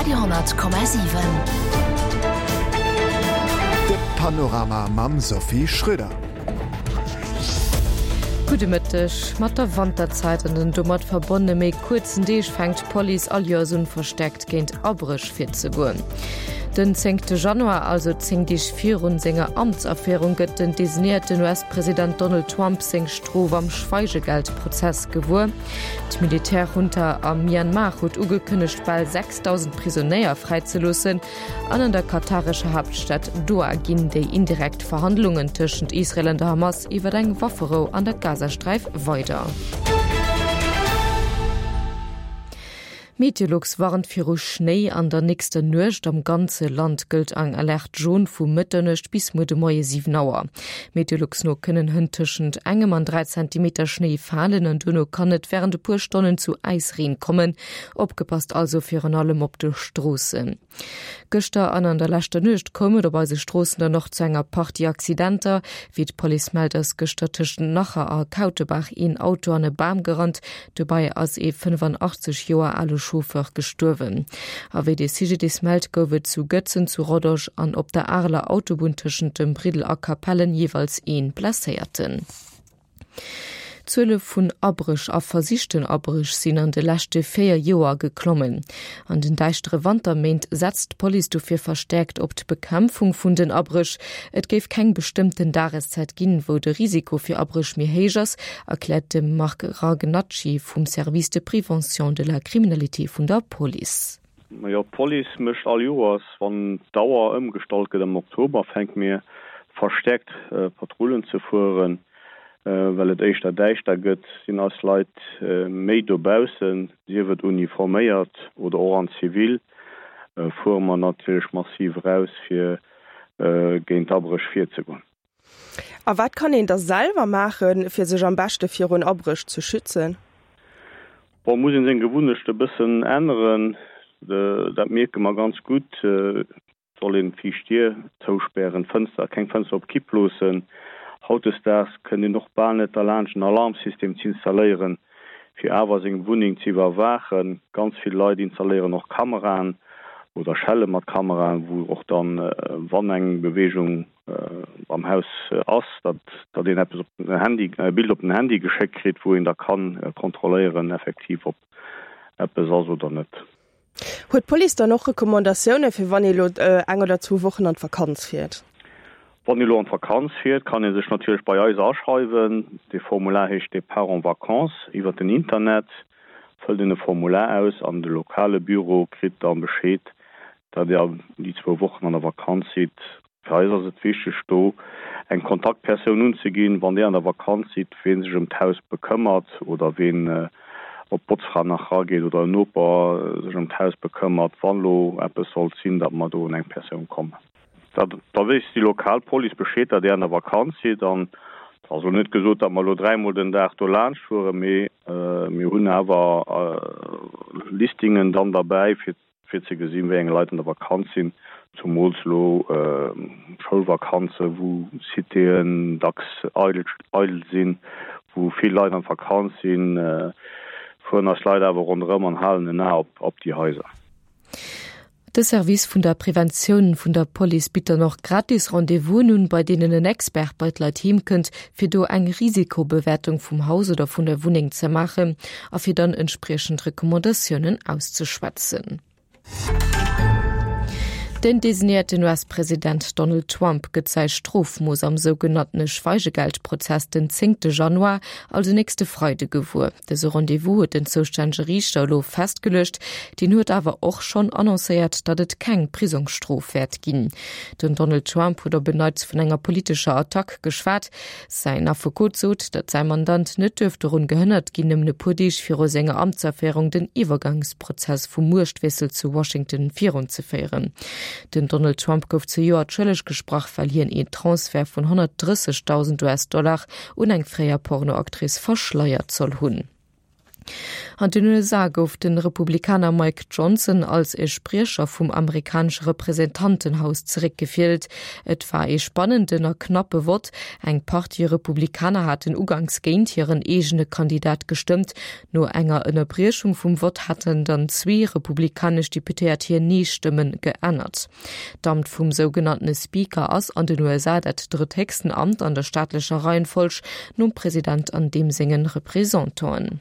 Radio 10,7. De Panorama mam Sophie Schröder. Gudde Mëtteg. Mat der Wanterzäit an den domat verbonnene méi kuerzen Deeg fänkt d'Police all Joers un, verstäerkt géint Abréch virzegoen. Den zéngte Januar, also 10 Deeg virun senger Amtsaféierung, gëtt den designéierten US-President Donald Trump seng Strof am Schweigegeldprozess gewuer. D'Militärjunta am Myanmar huet ugekënnegt, bal 6.000 Prisonéier fräizeloossen. An an der katarescher Haaptstad Doha ginn déi indirekt Verhandlungen tëschent Israel an der Hamas iwwer eng Wafferou an der Gazasträif weider. Meteolux warnt viru Schnéi an der nächster Nuecht. Am ganze Land gëllt eng Alerte jaune vu Mëtternuecht bis muer de Moie 7 Auer. Meteolux no kënnen hënt tëschent engem an 3 Zentimeter Schnéi falen an duerno kann et wärend e puer Stonnen zu Äisreen kommen. Opgepasst also virun allem op de Stroossen. Gëschter an an der leschter Nuecht koum et op eise Stroossen dann och zu enger Partie Accidenter. Wéi d'Police mellt, ass gëschter tëschent Nacher a Kautebaach een Auto an e Bam gerannt. Dobäi ass ee 85 Joer ale Chauffeur gestuerwen. A wéi de CGDIS mellt, gouf et zu Gëtzen, zu Rodange an op der Areler Autobunn tëschent dem Briddel a Capellen jeeweils ee Blesséierten. D'Zuele vun Abréch a versichten Abréch sinn an de leschte 4 Joer geklommen. An den däischtere Wanterméint setzt d'Police dofir verstäerkt op d'Bekämpfung vun den Abréch. Et géif keng bestëmmten Dageszäit ginn, wou de Risiko fir Abréch méi héich ass, erkläert de Marc Ragnacci vum Service de prévention de la criminalité vun der Police. Majo, d'Police mécht all Joers, wann d'Auer ëmgestallt gëtt am Oktober, fänke mir verstäerkt Patrullen ze fueren. Well et éischter däischter gëtt, sinn eis Leit méi dobaussen, sief et uniforméiert oder och an Zivil, fuere mer natierlech massiv eraus, fir géint Abréch virzegoen. A wat kann een da selwer maachen, fir sech am beschte virun Abréch ze schützen? Bon, muss een seng Gewunnechte bëssen änneren, dat mierke mer ganz gutt. Soll een d'viischt Dier zouspären, d'Fënster, keng Fënster op Kipp loossen. Hautdesdaags kënnt een och bal net derlaanscht en Alarmsystem z'installéieren, fir awer seng Wunneng ze iwwerwaachen. Ganz vill Leit installéieren och Kameraen oder Schelle mat Kameraen, wou och dann, wann eng Beweegung am Haus ass, datt datt een eppes op den Handy, e Bild op den Handy geschéckt kritt, wou een da kann kontrolléieren effektiv ob eppes ass oder net. Huet d'Police dann och Recommandatioune fir wann ee lo eng oder zwou Wochen an d'Vakanz fiert? Wann ee lo an d'Vakanz fiert, kann ee sech natierlech bei eis aschreiwen. Dee Formular heescht Départ en vacances. Iwwer den Internet fëllt een e Formular aus an de lokale Büro kritt da Bescheed, datt Dir déi zwou Wochen an der Vakanz sidd. Fir eis ass et wichteg, do eng Kontaktpersoun unzeginn, wann Dir an der Vakanz sidd, ween sech ëm d'Haus bekëmmert oder ween op d'Botzfra nach rageet oder en Noper sech ëm d'Haus bekëmmert, wann elo eppes sollt sinn, datt mer do un eng Persoun kommen. Da weess déi lokal Police Bescheed, datt Dir an der Vakanz sidd. An et ass elo net gesot, datt mer elo dräimol den Dag do laanscht fueren, mee mir hunn awer Listingen dann derbäi, fir fir ze gesinn, wéi eng Leit an der Vakanz sinn, zumools elo Schoulvakanze wou Citéen dacks eidel sinn, wou vill Leit an Vakanz sinn, fueren eis Leit awer ronderëm an halen en A op déi Haiser. De Service vun der Preventioun vun der Police bitt dann och gratis Rendez-vousen un, bei deenen en Expert bei d'Leit heem kënnt, fir do eng Risikobewertung vum Haus oder vun der Wunneng ze maachen a fir dann entspriechend Recommandatiounen auszeschwätzen. Den designéierten US-President Donald Trump gëtt säi Strofmooss am sougenanntene Schweigegeldprozess den zéngte Januar, also nächste Freide gewuer. Dëse Rendez-vous huet den zoustännege Riichter elo festgeluecht. Deen huet awer och schonn annoncéiert, datt et keng Prisongsstrof wäert ginn. Den Donald Trump huet op en Neits vun enger politescher Attack geschwat. Säin Affekot sot, datt säi Mandant net duerf dorun gehënnert ginn, nëmmen e puer Deeg viru senger Amtsaféierung den Iwwergangsprozess vum Muechtwiessel zu Washington virunzeféieren. Den Donald Trump gouf zejoert schëlleg gesprach, well hien een Transfert vun 130.000 US-Dollar un eng fréier Pornoactrice verschleiert soll hunn. An den USA gouf de Republikaner Mike Johnson als e Spriecher vum amerikanesche Representantenhaus zeréckgewielt. Et war ee spannenden a knappe Vott. Eng Partie Republikaner haten uganks géint hiren eegene Kandidat gestëmmt. No enger Ënnerbriechung vum Vott haten dann zwee republikanesch Deputéiert hir Nee-Stëmme geännert. D'Amt vum sougenanntene Speaker ass an den USA dat drëtthéchsten Amt an der staatlecher Reihenfolg, nom President an deem sengen Representanten.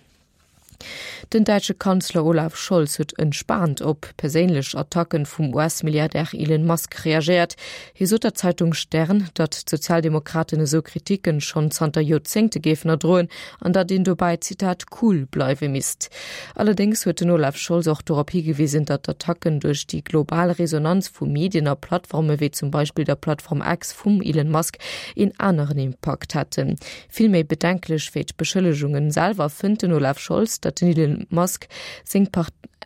Den däitsche Kanzler Olaf Scholz huet entspaant op perséinlech Attacken vum US-Milliardär Elon Musk reagéiert. Hie sot der Zeitung Stern, datt d'Sozialdemokraten esou Kriticken schonn zanter Joerzéngte géifen erdroen an datt een dobäi, Zitat, cool bleiwe misst. Allerdéngs huet den Olaf Scholz och dorop higewisen, datt d'Attacken duerch déi global Resonanz vu Medien a Plattforme wéi zum Beispill der Plattform X vum Elon Musk een aneren Impakt hätten. Vill méi bedenklech wéi d'Beschëllegungen selwer fënnt den Olaf Scholz, datt den Elon Musk seng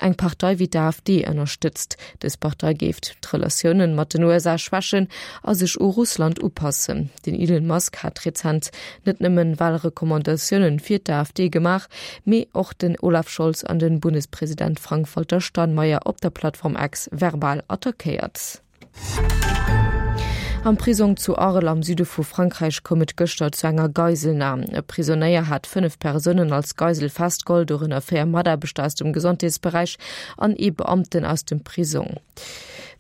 eng Partei wéi d'AfD ënnerstëtzt. Dës Partei géif d'Relatiounen mat den USA schwächen a sech u Russland upassen. Den Elon Musk hat rezent net nëmmen Walrecommandatiounen fir d'AfD gemaach, mee och den Olaf Scholz an den Bundespresident Frank-Walter Steinmeier op der Plattform X verbal attackéiert. Am Prisong zu Arles am Süde vu Frankräich koum et gëschter zu enger Geiselnam. E Prisonéier hat 5 Persounen als Geisel festgeholl, dorënner 4 Mataarbechter aus dem Gesondheetsberäich an ee Beamten aus dem Prisong.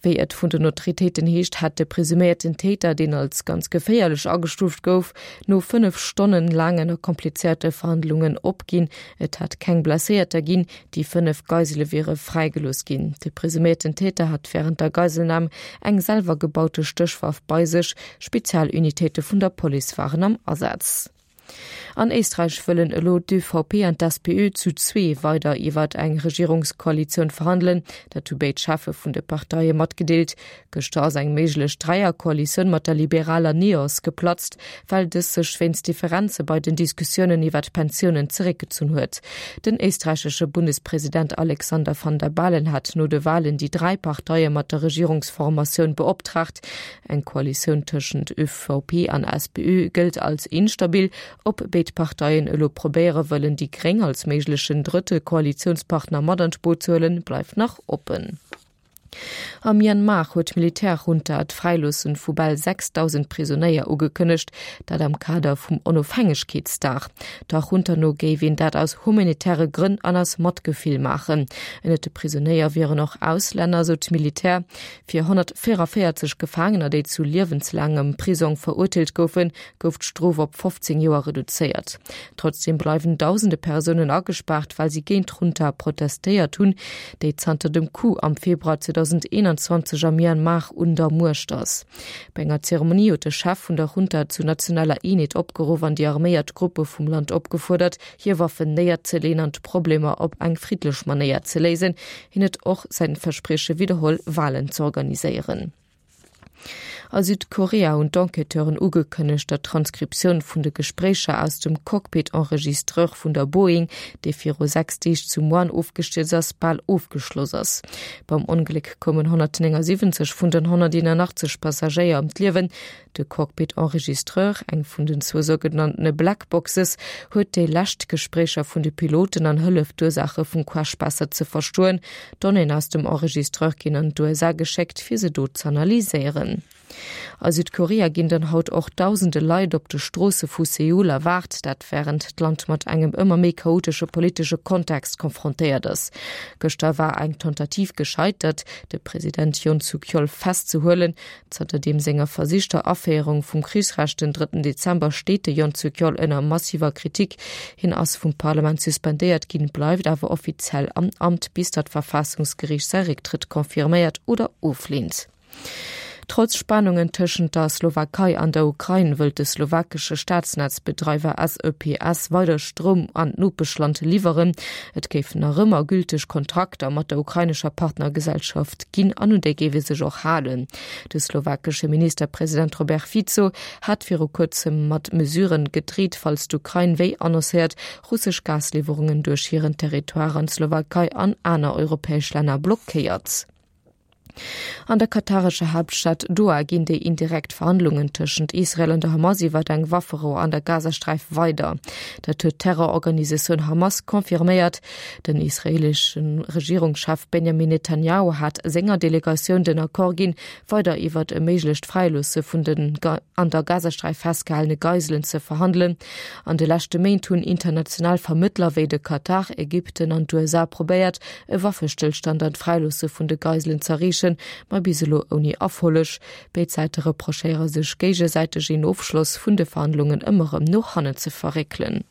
Wéi et vun den Autoritéiten heescht, hätt de presuméierten Täter, deen als ganz geféierlech agestuuft gouf, no 5 Stonnen laangen a komplizéierte Verhandlungen opginn. Et hätt keng Blesséierter ginn, déi 5 Geisele wiere fräigelooss ginn. De presuméierten Täter hat wärend der Geiselnam eng selwer gebaute Stéchwaff bei sech. Spezialunitéite vun der Police waren am Asaz. An Éisträich wëllen elo d'ÖVP an d'SPÖ zu zwee weider iwwert eng Regierungskoalitioun verhandelen. Dat hu béid Cheffe vun de Parteie matgedeelt. Gëschter ass eng méiglech Dräierkoalitioun mat der liberaler NEOS geplatzt, well dës sech wéinst Differenze bei den Diskussiounen iwwer d'Pensiounen zeréckgezunn huet. Den éisträichesche Bundespresident Alexander Van der Bellen hat no de Walen déi dräi Parteie mat der Regierungsformatioun beoptraagt. Eng Koalitioun tëschent ÖVP an SPÖ gëllt als instabil. Ob béid Parteien elo probéiere wëllen, déi Gréng als méiglechen drëtte Koalitiounspartner mat an d'Boot ze huelen, bleift nach oppen. Am Myanmar huet d'Militärjunta d'Fräiloosse vu bal 6.000 Prisonéier ugekënnegt, dat am Kader vum Onofhängegkeetsdag. Der Junta no géif een dat aus humanitäre Grënn an aus Matgefill maachen. Ënnert de Prisonéier wieren och Auslänner, sou d'Militär. Fir 144 Gefaangener, déi zu liewenslaangem Prisong verurteelt goufen, gouf d'Strof op 15 Joer reduzéiert. Trotzdeem bleiwen dausende Persounen agespaart, well si géint d'Junta protestéiert hunn, déi zanter dem Coup am Februar 2021 am Myanmar un der Muecht ass. Bei enger Zeremonie huet de Chef vun der Junta zu nationaler Eenheet opgeruff an déi arméiert Gruppe vum Land opgefuerdert, hir Waffen néierzeleeën an d'Problemer op eng friddlech Manéier ze léisen. Hien huet och säin Versprieche widderholl, Walen z'organiséieren. A Südkorea hunn d'Enquêteuren ugekënnegt, datt d'Transkriptioun vun de Gespréicher aus dem Cockpit-Enregistreur vun der Boeing, déi viru 6 Deeg zu Muan ofgestierzt ass, bal ofgeschloss ass. Beim Ongléck koumen 179 vun den 181 Passagéier ëm d'Liewen. De Cockpit-Enregistreur, eng vun den zwou sougenanntene Black Boxes, huet déi lescht Gespréicher vun de Piloten an hëlleft d'Ursaache vum Crash besser ze verstoen. D'Donnéeën aus dem Enregistreur ginn an d'USA geschéckt, fir se do z'analyséieren. A Südkorea ginn dann haut och dausende Leit op de Stroosse vu Seoul erwaart, dat wärend d'Land mat engem ëmmer méi chaotesche politesche Kontext konfrontéiert ass. Gëschter war eng Tentative gescheitert, de President Yoon Suk-yeol festzehuelen. Zanter deem senger versichter Aféierung vum Krichsrecht den drëtten Dezember steet de Yoon Suk Yeol ënner massiver Kritik. Hien ass vum Parlament suspendéiert ginn, bleift awer offiziell am Amt, bis datt d'Verfaassungsgeriicht säi Récktrëtt confirméiert oder ofleent. Trotz Spannungen tëschent der Slowakei an der Ukrain wëllt de slowakesche Staatsnetzbedreiwer SEPS weider Stroum an d'Nopeschland liwweren. Et géifen nach ëmmer gülteg Kontrakter mat der ukrainescher Partnergesellschaft ginn an un déi géif ee sech och halen. De slowakesche Ministerpresident Robert Fico hat viru kuerzem mat Mesuren gedreet, falls d'Ukrain, wéi annoncéiert, russesch Gasliwwerungen duerch hiren Territoire an d'Slowakei an aner europäesch Länner blockéiert. An der katarescher Haaptstad Doha ginn déi indirekt Verhandlungen tëschent Israel an der Hamas iwwer eng Wafferou an der Gazasträif weider. Dat huet d'Terrororganisatioun Hamas confirméiert. Den israeelesche Regierungschef Benjamin Netanjahu hat senger Delegatioun den Accord ginn, weider iwwert e méiglecht Fräiloosse vun den an der Gazasträif festgehalene Geiselen ze verhandelen. An de leschte Méint hunn international Vermëttler wéi de Katar, Ägypten an d'USA probéiert, e Waffestëllstand an d'Fräiloosse vun de Geiselen z'erreechen, ma bis elo ouni Erfolleg. Béid Säite reprochéiere sech géigesäiteg een Ofschloss vun de Verhandlungen ëmmer erëm no hannen ze verréckelen.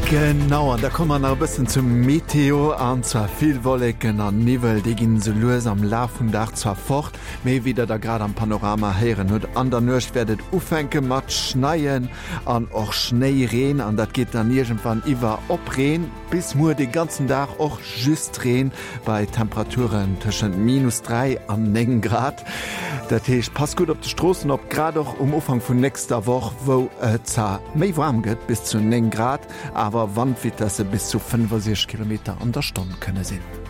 Genau, an da komme mer nach e bëssen zum Meteo, an zwar vill Wolleken an Niwwel, déi ginn esou lues am Laf vum Dag zwar fort, mee wéi der da grad am Panorama héieren hutt, an der Nuecht wäert et ufänke mat schneien an och Schnéireen, an dat geet dann iergendwann iwwer op Reen. Bis muer de ganzen Dag och just Reen bei Temperaturen tëschent minus 3 an 9 Grad. Dat heescht, passt gutt op de Stroossen op, grad och um Ufank vun nächster Woch, wou et zwar méi waarm gëtt, bis zu 9 Grad, awer Wandvitesse bis zu 65 Kilometer an der Stonn kënne sinn.